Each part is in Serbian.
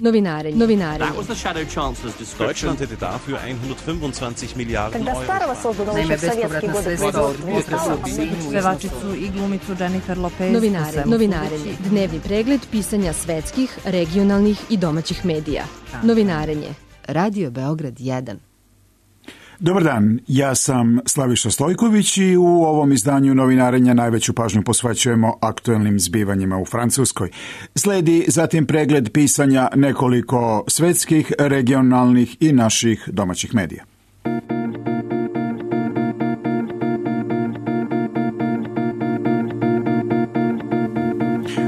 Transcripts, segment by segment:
Novinarenje. That was the Shadow Chancellor's description. Deutschland hätte dafür 125 Milijarden Тогда Euro. старого созданного Naime, еще в советские bespovratna годы sredstva od производства. pevačicu i glumicu Jennifer Lopez. Novinarenje. Dnevni pregled pisanja svetskih, regionalnih i domaćih medija. Novinarenje. Radio Beograd 1. Dobar dan, ja sam Slaviša Stojković i u ovom izdanju Novinarenja najveću pažnju posvećujemo aktuelnim zbivanjima u Francuskoj. Sledi zatim pregled pisanja nekoliko svetskih, regionalnih i naših domaćih medija.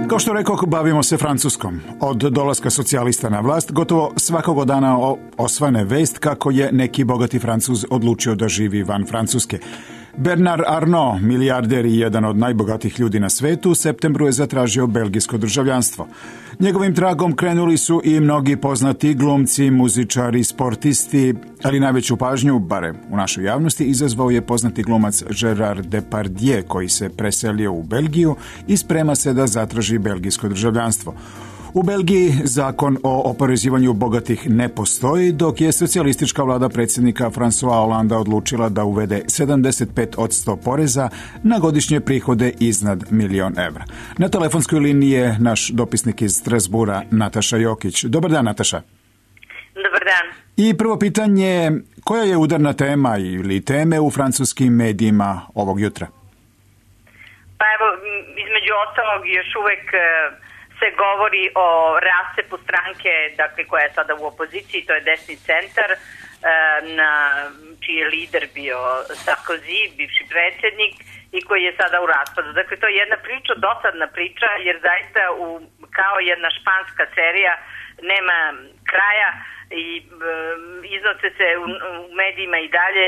Kao što rekoh, bavimo se Francuskom. Od dolaska socijalista na vlast gotovo svakog dana osvane vest kako je neki bogati Francuz odlučio da živi van Francuske. Bernard Arnault, milijarder i jedan od najbogatijih ljudi na svetu, u septembru je zatražio belgijsko državljanstvo. Njegovim tragom krenuli su i mnogi poznati glumci, muzičari, sportisti, ali najveću pažnju, barem u našoj javnosti, izazvao je poznati glumac Gérard Depardieu, koji se preselio u Belgiju i sprema se da zatraži belgijsko državljanstvo. U Belgiji zakon o oporezivanju bogatih ne postoji, dok je socijalistička vlada predsjednika François Hollanda odlučila da uvede 75% poreza na godišnje prihode iznad 1.000.000 evra. Na telefonskoj liniji je naš dopisnik iz Strasbura, Nataša Jokić. Dobar dan, Nataša. Dobar dan. I prvo pitanje, koja je udarna tema ili teme u francuskim medijima ovog jutra? Pa evo, između ostalog još uvek se govori o rascepu stranke, dakle, koja je sada u opoziciji, to je desni centar, na čiji je lider bio Sarkozy, bivši predsjednik, i koji je sada u raspadu. Dakle, to je jedna priča, dosadna priča, jer zaista kao jedna španska serija nema kraja i iznose se u medijima i dalje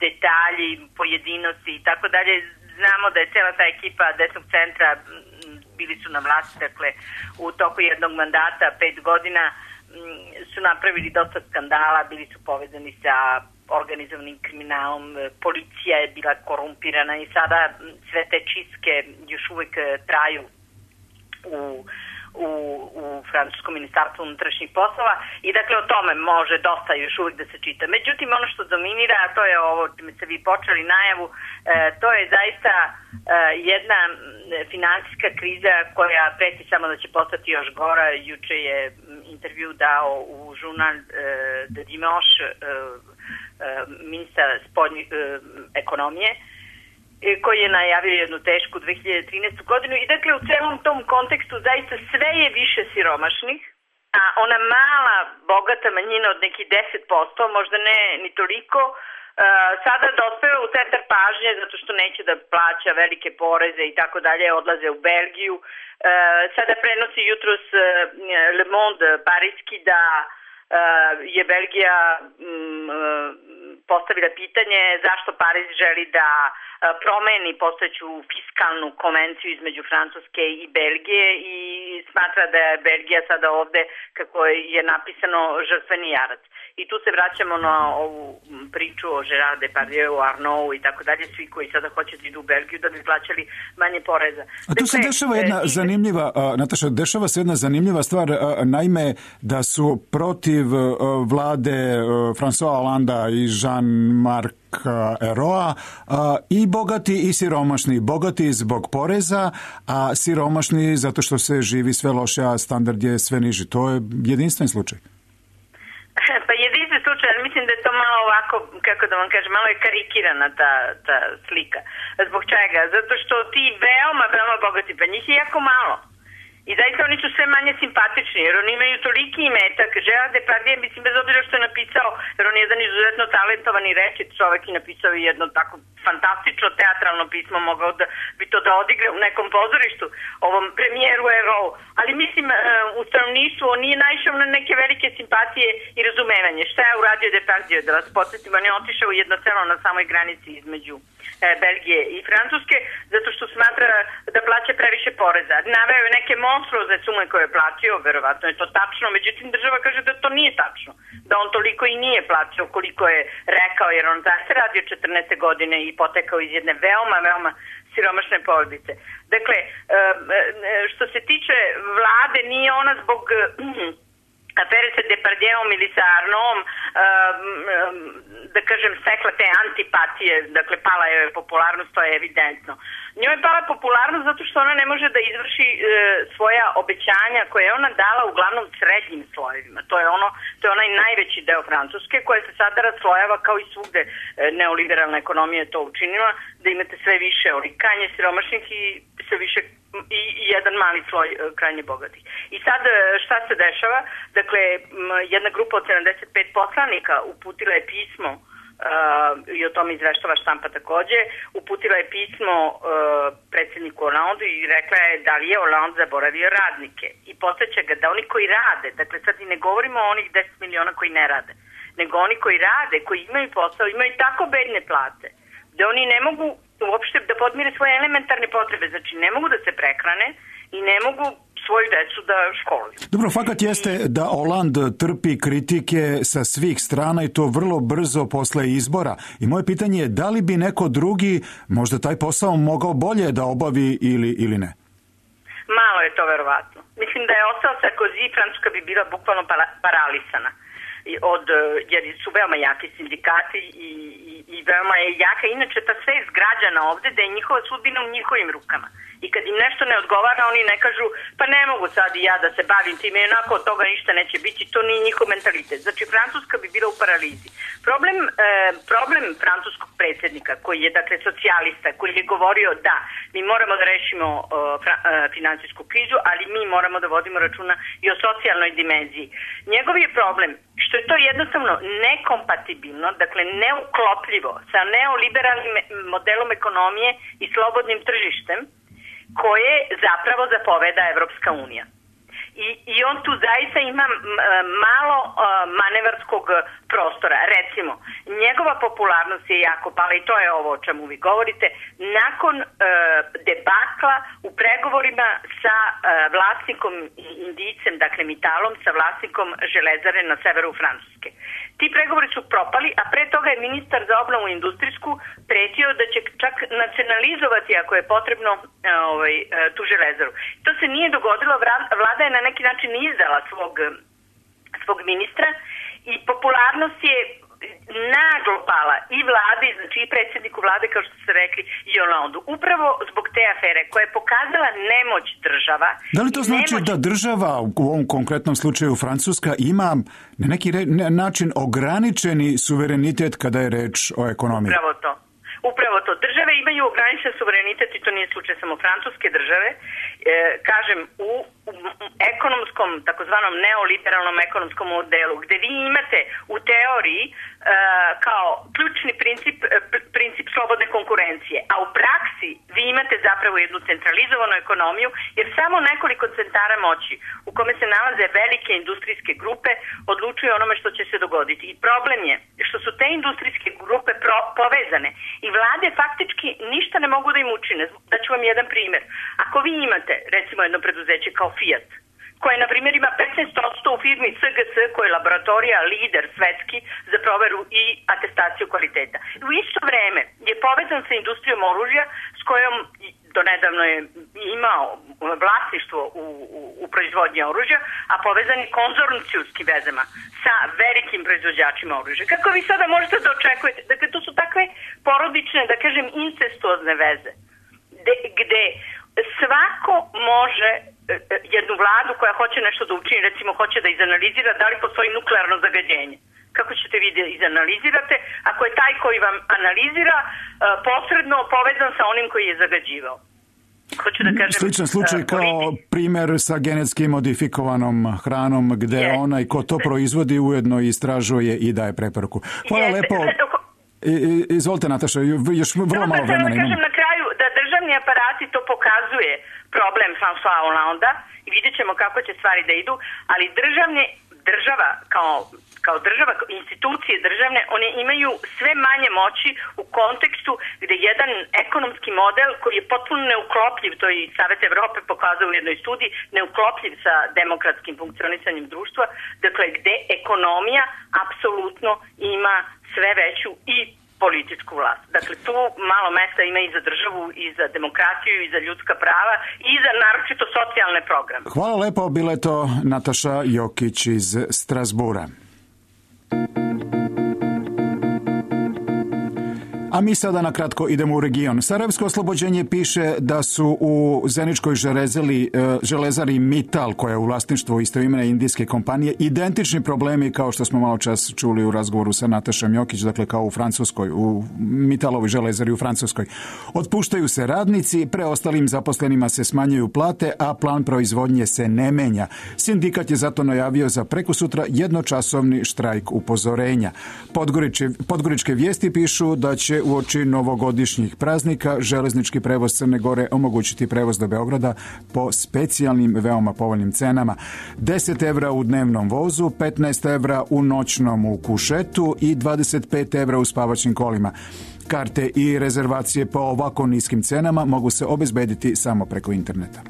detalji, pojedinosti i tako dalje. Znamo da je cijela ta ekipa desnog centra, bili su na vlasti, dakle, u toku jednog mandata, 5 godina, su napravili dosta skandala, bili su povezani sa organizovanim kriminalom, policija je bila korumpirana i sada sve te čistke još uvijek traju u francuskom ministarstvu unutrašnjih poslova i dakle o tome može dosta još uvijek da se čita. Međutim, ono što dominira, a to je ovo čime ste vi počeli najavu, to je zaista jedna finansijska kriza koja preti samo da će postati još gora. Juče je intervju dao u žurnal de Dimanche ministar ekonomije, koji je najavio jednu tešku 2013. godinu i dakle u celom tom kontekstu zaista sve je više siromašnih, a ona mala bogata manjina od nekih 10%, možda ne ni toliko, sada dospeva u centar pažnje zato što neće da plaća velike poreze i tako dalje, odlaze u Belgiju. Sada prenosi jutros Le Monde pariski da je Belgija postavila pitanje zašto Pariz želi da promeni postojeću fiskalnu konvenciju između Francuske i Belgije i smatra da je Belgija sada ovde, kako je napisano, žrtveni jarac. I tu se vraćamo na ovu priču o Gérard Depardieu, Arnault i tako dalje, svi koji sada hoće da idu u Belgiju da bi plaćali manje poreza. A tu se dešava jedna zanimljiva, Nataša, dešava se jedna zanimljiva stvar, naime da su protiv vlade François Hollanda i Jean-Marc Ayrault i bogati i siromašni. Bogati zbog poreza, a siromašni zato što se živi sve loše, a standard je sve niži. To je jedinstven slučaj. Pa jedinstven slučaj, ali mislim da je to malo ovako, kako da vam kažem, malo je karikirana ta slika. Zbog čega? Zato što ti veoma bogati, pa njih je jako malo. I zaista oni su sve manje simpatični, jer oni imaju toliki imetak. Gérard Depardieu, mislim, bez obzira što je napisao, jer on je jedan izuzetno talentovani rečit čovek i napisao je jedno tako fantastično teatralno pismo, mogao da bi to da odigra u nekom pozorištu, ovom premijeru Ayrault. Ali mislim, u stanovništvu on nije naišao na neke velike simpatije i razumevanje. Šta je uradio Depardieu? Da vas podsjetim, on je otišao u jedno selo na samoj granici između Belgije i Francuske, zato što smatra da plaća previše poreza. Naveo je neke monstruozne sume koje je platio, verovatno je to tačno, međutim država kaže da to nije tačno. da on toliko i nije plaćao koliko je rekao, jer on zaista radio 14. godine i potekao iz jedne veoma siromašne porodice. Dakle, što se tiče vlade, nije ona zbog afere sa Depardieuom ili sa Arnaudom, da kažem, stekla te antipatije, dakle, pala je popularnost, to je evidentno. Njoj je pala popularnost zato što ona ne može da izvrši svoja obećanja koje je ona dala uglavnom srednjim slojevima. To je onaj najveći deo Francuske koja se sada raslojava kao i svugde neoliberalna ekonomija je to učinila, da imate sve više olikanje siromašnih i sve više i jedan mali sloj krajnje bogatih. I sad šta se dešava? Dakle, jedna grupa od 75 poslanika uputila je pismo i o tome izveštava štampa takođe, uputila je pismo predsjedniku Hollandu i rekla je da li je Holland zaboravio radnike. I podsjeća ga da oni koji rade, dakle sad i ne govorimo o onih 10 miliona koji ne rade, nego oni koji rade, koji imaju posao, imaju tako bedne plate, da oni ne mogu uopšte da podmire svoje elementarne potrebe, znači ne mogu da se prehrane i ne mogu svoju decu da školuju. Dobro, fakat jeste da Hollande trpi kritike sa svih strana i to vrlo brzo posle izbora. I moje pitanje je da li bi neko drugi možda taj posao mogao bolje da obavi ili ne? Malo je to verovatno. Mislim da je ostao Sarkozy, Francuska bi bila bukvalno paralisana. Jer su veoma jaki sindikati i veoma je jaka. Inače, ta svest građana ovde da je njihova sudbina u njihovim rukama. I kad im nešto ne odgovara, oni ne kažu pa ne mogu sad i ja da se bavim time, onako od toga ništa neće biti, to nije njihov mentalitet. Znači, Francuska bi bila u paralizi. Problem francuskog predsjednika, koji je, dakle, socijalista, koji je govorio da mi moramo da rešimo finansijsku krizu, ali mi moramo da vodimo računa i o socijalnoj dimenziji. Njegov je problem što je to jednostavno nekompatibilno, dakle neuklopljivo sa neoliberalnim modelom ekonomije i slobodnim tržištem koje zapravo zapoveda Evropska unija. I on tu zaista ima malo manevarskog prostora. Recimo, njegova popularnost je jako pala i to je ovo o čemu vi govorite, nakon debakla u pregovorima sa vlasnikom Indijcem, dakle Mittalom, sa vlasnikom železare na severu Francuske. Ti pregovori su propali, a pre toga je ministar za obnovu industrijsku pretio da će čak nacionalizovati ako je potrebno tu železaru. To se nije dogodilo, vlada je na neki način izdala svog ministra i popularnost je naglo pala i vladi, znači i predsjedniku vlade, kao što ste rekli, i Hollandu. Upravo zbog te afere koja je pokazala nemoć država. Da li to znači da država, u ovom konkretnom slučaju Francuska, ima na neki način ograničeni suverenitet kada je reč o ekonomiji? Upravo to. Države imaju ograničen suverenitet i to nije slučaj samo francuske države. Kažem, u ekonomskom, takozvanom neoliberalnom ekonomskom modelu, gde vi imate u teoriji kao ključni princip slobodne konkurencije, a u praksi vi imate zapravo jednu centralizovanu ekonomiju, jer samo nekoliko centara moći u kome se nalaze velike industrijske grupe odlučuju onome što će se dogoditi. I problem je što su te industrijske grupe povezane i vlade faktički ništa ne mogu da im učine. Daću vam jedan primjer. Ako vi imate, recimo, jedno preduzeće kao Fiat, koje, na primjer, ima 15% u firmi CGC, koja je laboratorija lider svetski za proveru i atestaciju kvaliteta. U isto vreme je povezan sa industrijom oružja s kojom donedavno je imao vlasništvo u proizvodnji oružja, a povezan je konzorcijskim vezama sa velikim proizvođačima oružja. Kako vi sada možete da očekujete? Dakle, to su takve porodične, da kažem, incestuozne veze, gde svako može jednu vladu koja hoće nešto da učini, recimo hoće da izanalizira da li postoji nuklearno zagađenje. Kako ćete vi da izanalizirate ako je taj koji vam analizira posredno povezan sa onim koji je zagađivao? Hoću da kažem, sličan slučaj kao primer sa genetski modifikovanom hranom gde onaj ko to proizvodi ujedno istražuje i daje preporuku. Hvala lepo. Izvolite, Nataša, još vrlo malo vremena imamo. Kažem na kraju da državni aparati to pokazuje problem François Hollanda i vidjet ćemo kako će stvari da idu, ali država kao država, institucije državne, one imaju sve manje moći u kontekstu gde jedan ekonomski model koji je potpuno neuklopljiv, to i Savet Evrope pokazao u jednoj studiji, neuklopljiv sa demokratskim funkcionisanjem društva, dakle gde ekonomija apsolutno ima sve veću i političku vlast. Dakle, tu malo mesta ima i za državu, i za demokratiju, i za ljudska prava, i za naročito socijalne programe. Hvala lepo, bila je to Nataša Jokić iz Strasbura. A mi sada na kratko idemo u region. Sarajevsko oslobođenje piše da su u Zeničkoj železari Mittal, koja je u vlasništvu istoimene indijske kompanije, identični problemi kao što smo malo čas čuli u razgovoru sa Natašom Jokić, dakle kao u Francuskoj, u Mittalovoj železari u Francuskoj. Otpuštaju se radnici, preostalim zaposlenima se smanjuju plate, a plan proizvodnje se ne menja. Sindikat je zato najavio za prekosutra jednočasovni štrajk upozorenja. Podgoričke vijesti pišu da će uoči novogodišnjih praznika železnički prevoz Crne Gore omogućiti prevoz do Beograda po specijalnim veoma povoljnim cenama. 10 evra u dnevnom vozu, 15 evra u noćnom u kušetu i 25 evra u spavaćim kolima. Karte i rezervacije po ovako niskim cenama mogu se obezbediti samo preko interneta.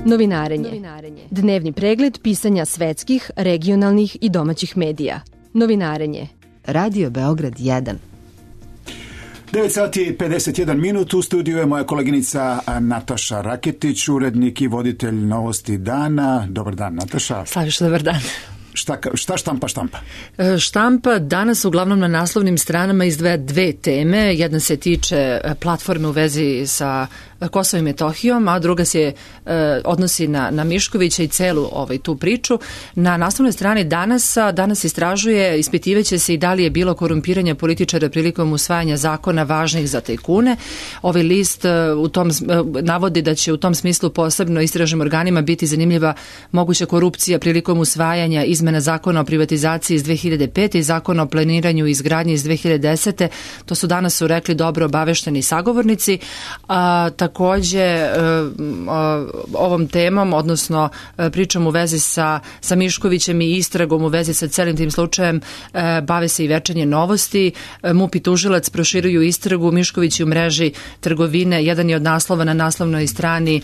Novinarenje. Dnevni pregled pisanja svetskih, regionalnih i domaćih medija. Novinarenje. Radio Beograd 1. 9 sati i 51 minut. U studiju je moja koleginica Nataša Raketić, urednik i voditelj Novosti dana. Dobar dan, Nataša. Slaviša, dobar dan. Šta štampa? Štampa danas uglavnom na naslovnim stranama izdvaja dve teme. Jedna se tiče platforme u vezi sa Kosovom i Metohijom, a druga se odnosi na Miškovića i celu tu priču. Na naslovnoj strani danas istražuje, ispitivaće se i da li je bilo korumpiranja političara prilikom usvajanja zakona važnih za tajkune. Ovaj list navodi da će u tom smislu posebno istražnim organima biti zanimljiva moguća korupcija prilikom usvajanja izmena zakona o privatizaciji iz 2005. i zakona o planiranju i izgradnji iz 2010. To su danas rekli dobro obavešteni sagovornici. Takođe ovom temom, odnosno pričom u vezi sa Miškovićem i istragom u vezi sa celim tim slučajem bave se i Večernje novosti. MUP i tužilac proširuju istragu. Mišković u mreži trgovine, jedan je od naslova na naslovnoj strani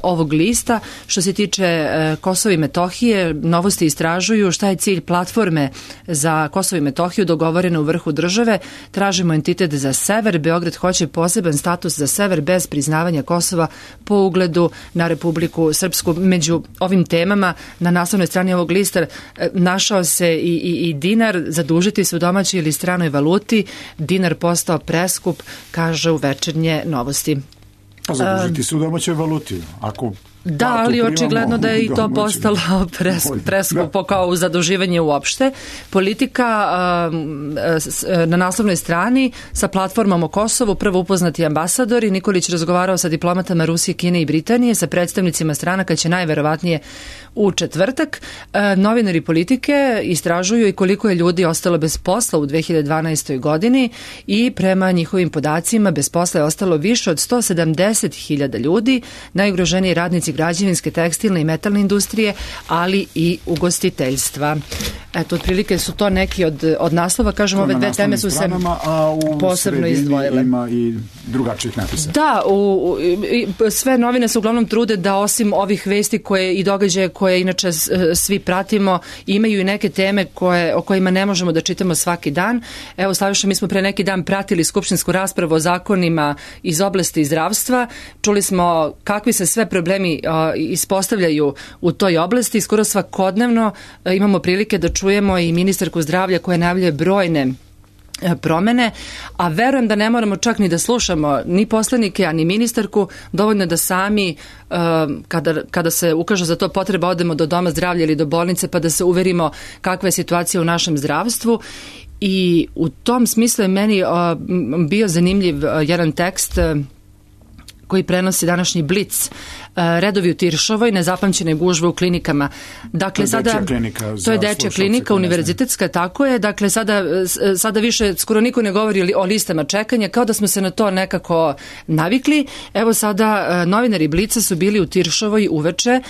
ovog lista. Što se tiče Kosova i Metohije, Novosti istražuju šta je cilj platforme za Kosovo i Metohiju dogovorena u vrhu države. Tražimo entitet za sever. Beograd hoće poseban status za sever bez priznavanja Kosova po ugledu na Republiku Srpsku. Među ovim temama na naslovnoj strani ovog lista našao se i dinar, zadužiti se u domaćoj ili stranoj valuti. Dinar postao preskup, kaže u Večernje novosti. A zadužiti se u domaćoj valuti, Da, ali očigledno da je i to postalo preskupo kao u zaduživanje uopšte. Politika na naslovnoj strani sa platformom o Kosovu, prvo upoznati ambasadori. Nikolić razgovarao sa diplomatama Rusije, Kine i Britanije, sa predstavnicima stranaka će najverovatnije u četvrtak. Novinari Politike istražuju i koliko je ljudi ostalo bez posla u 2012. godini i prema njihovim podacima bez posla je ostalo više od 170.000 ljudi, najugroženiji radnici građevinske, tekstilne i metalne industrije, ali i ugostiteljstva. Eto, otprilike su to neki od naslova, kažem, ove dve teme su se posebno izdvojile. Ima i drugačijih napisa. Da, sve novine se uglavnom trude da osim ovih vesti i događaje koje inače svi pratimo, imaju i neke teme o kojima ne možemo da čitamo svaki dan. Evo, Slaviša, mi smo pre neki dan pratili skupštinsku raspravu o zakonima iz oblasti zdravstva. Čuli smo kakvi se sve problemi ispostavljaju u toj oblasti. Skoro svakodnevno imamo prilike da čujemo i ministarku zdravlja koja najavljuje brojne promene, a verujem da ne moramo čak ni da slušamo ni poslanike, a ni ministarku, dovoljno da sami kada se ukaže za to potreba odemo do doma zdravlja ili do bolnice pa da se uverimo kakva je situacija u našem zdravstvu. I u tom smislu je meni bio zanimljiv jedan tekst koji prenosi današnji Blic, redovi u Tiršovoj, nezapamćene gužve u klinikama. Dakle, to je dečja klinika, univerzitetska, tako je. Dakle, sada više skoro niko ne govori o listama čekanja, kao da smo se na to nekako navikli. Evo sada novinari Blica su bili u Tiršovoj uveče.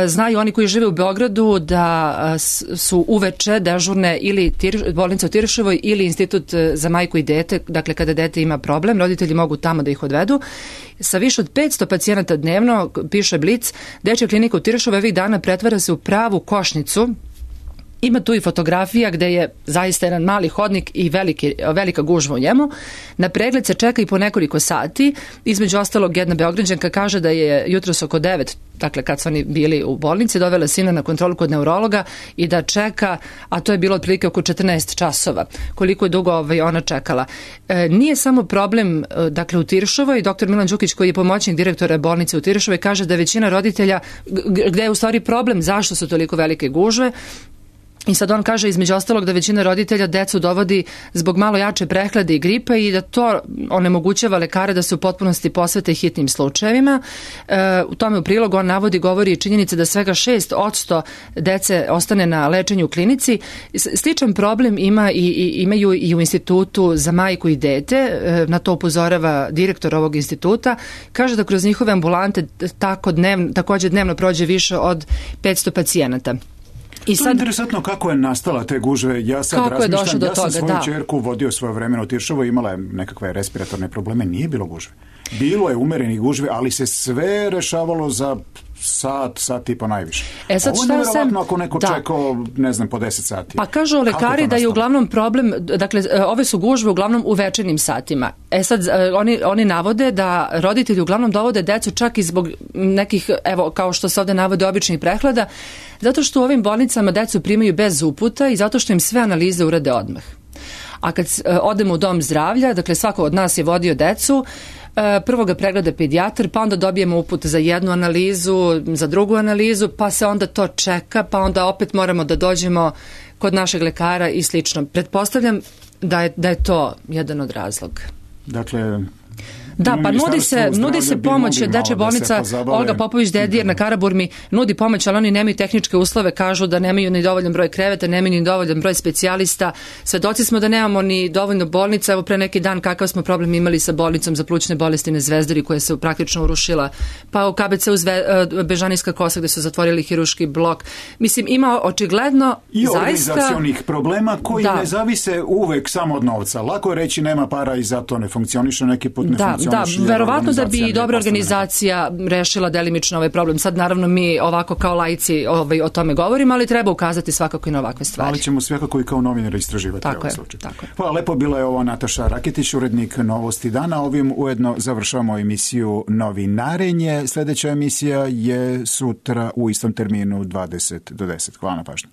Znaju oni koji žive u Beogradu da su uveče dežurne ili bolnica u Tiršovoj ili Institut za majku i dete, dakle kada dete ima problem, roditelji mogu tamo da ih odvedu. Sa više od 500 pacijenata dnevno, piše Blic, dečja klinika u Tiršovoj ovih dana pretvara se u pravu košnicu. Ima tu i fotografija gde je zaista jedan mali hodnik i velika gužva u njemu. Na pregled se čeka i po nekoliko sati. Između ostalog, jedna Beograđanka kaže da je jutros oko 9, dakle kad su oni bili u bolnici, dovela sina na kontrolu kod neurologa i da čeka, a to je bilo otprilike oko 14 časova. Koliko je dugo ona čekala. Nije samo problem, dakle, u Tiršovoj. Dr. Milan Đukić, koji je pomoćnik direktora bolnice u Tiršovoj, kaže da većina roditelja, gde je u stvari problem, zašto su toliko velike gužve. I sad on kaže između ostalog da većina roditelja decu dovodi zbog malo jače prehlade i gripa i da to onemogućava lekare da se u potpunosti posvete hitnim slučajevima. U tome u prilogu on govori činjenica da svega 6% dece ostane na lečenju u klinici. Sličan problem imaju i u Institutu za majku i dete, na to upozorava direktor ovog instituta. Kaže da kroz njihove ambulante također dnevno prođe više od 500 pacijenata. To je interesantno kako je nastala te gužve. Ja sad razmišljam, ja sam svoju čerku vodio svoje vremena u Tiršovo, imala je nekakve respiratorne probleme, nije bilo gužve. Bilo je umerenih gužve, ali se sve rešavalo za sat i po najviše. Ovo je nevjerovatno ako neko čekao, ne znam, po 10 sati. Pa kažu lekari da je uglavnom problem, dakle, ove su gužve uglavnom u večernjim satima. Sad, oni navode da roditelji uglavnom dovode decu čak i zbog nekih, evo, kao što se ovde navode, običnih prehlada, zato što u ovim bolnicama decu primaju bez uputa i zato što im sve analize urade odmah. A kad odemo u dom zdravlja, dakle, svako od nas je vodio decu, prvo ga pregleda pedijatar, pa onda dobijemo uput za jednu analizu, za drugu analizu, pa se onda to čeka, pa onda opet moramo da dođemo kod našeg lekara i slično. Pretpostavljam da je to jedan od razloga. Dakle, da, pa nudi se pomoć, dečja bolnica Olga Popović-Dedijer na Karaburmi nudi pomoć, ali oni nemaju tehničke uslove, kažu da nemaju ni dovoljan broj kreveta, nemaju ni dovoljan broj specijalista. Svedoci smo da nemamo ni dovoljno bolnica. Evo pre neki dan kakav smo problem imali sa bolnicom za plućne bolesti na Zvezdari koja se praktično urušila, pa u KBC-u Bežanijska Kosa gde su zatvorili hirurški blok. Mislim, ima očigledno i organizacionih problema koji ne zavise uvek samo od novca. Lako je reći nema para i zato ne funkcioniše, neki put ne funkcioniše. Da, verovatno da bi i dobra organizacija rešila delimično ovaj problem. Sad naravno mi ovako kao laici o tome govorimo, ali treba ukazati svakako i na ovakve stvari. Ali ćemo svakako i kao novinari istraživati ovaj slučaj. Hvala lepo, bila je ovo Nataša Raketić, urednik Novosti dana. Ovim ujedno završavamo emisiju Novinarenje. Sljedeća emisija je sutra u istom terminu 20 do 10. Hvala na pažnju.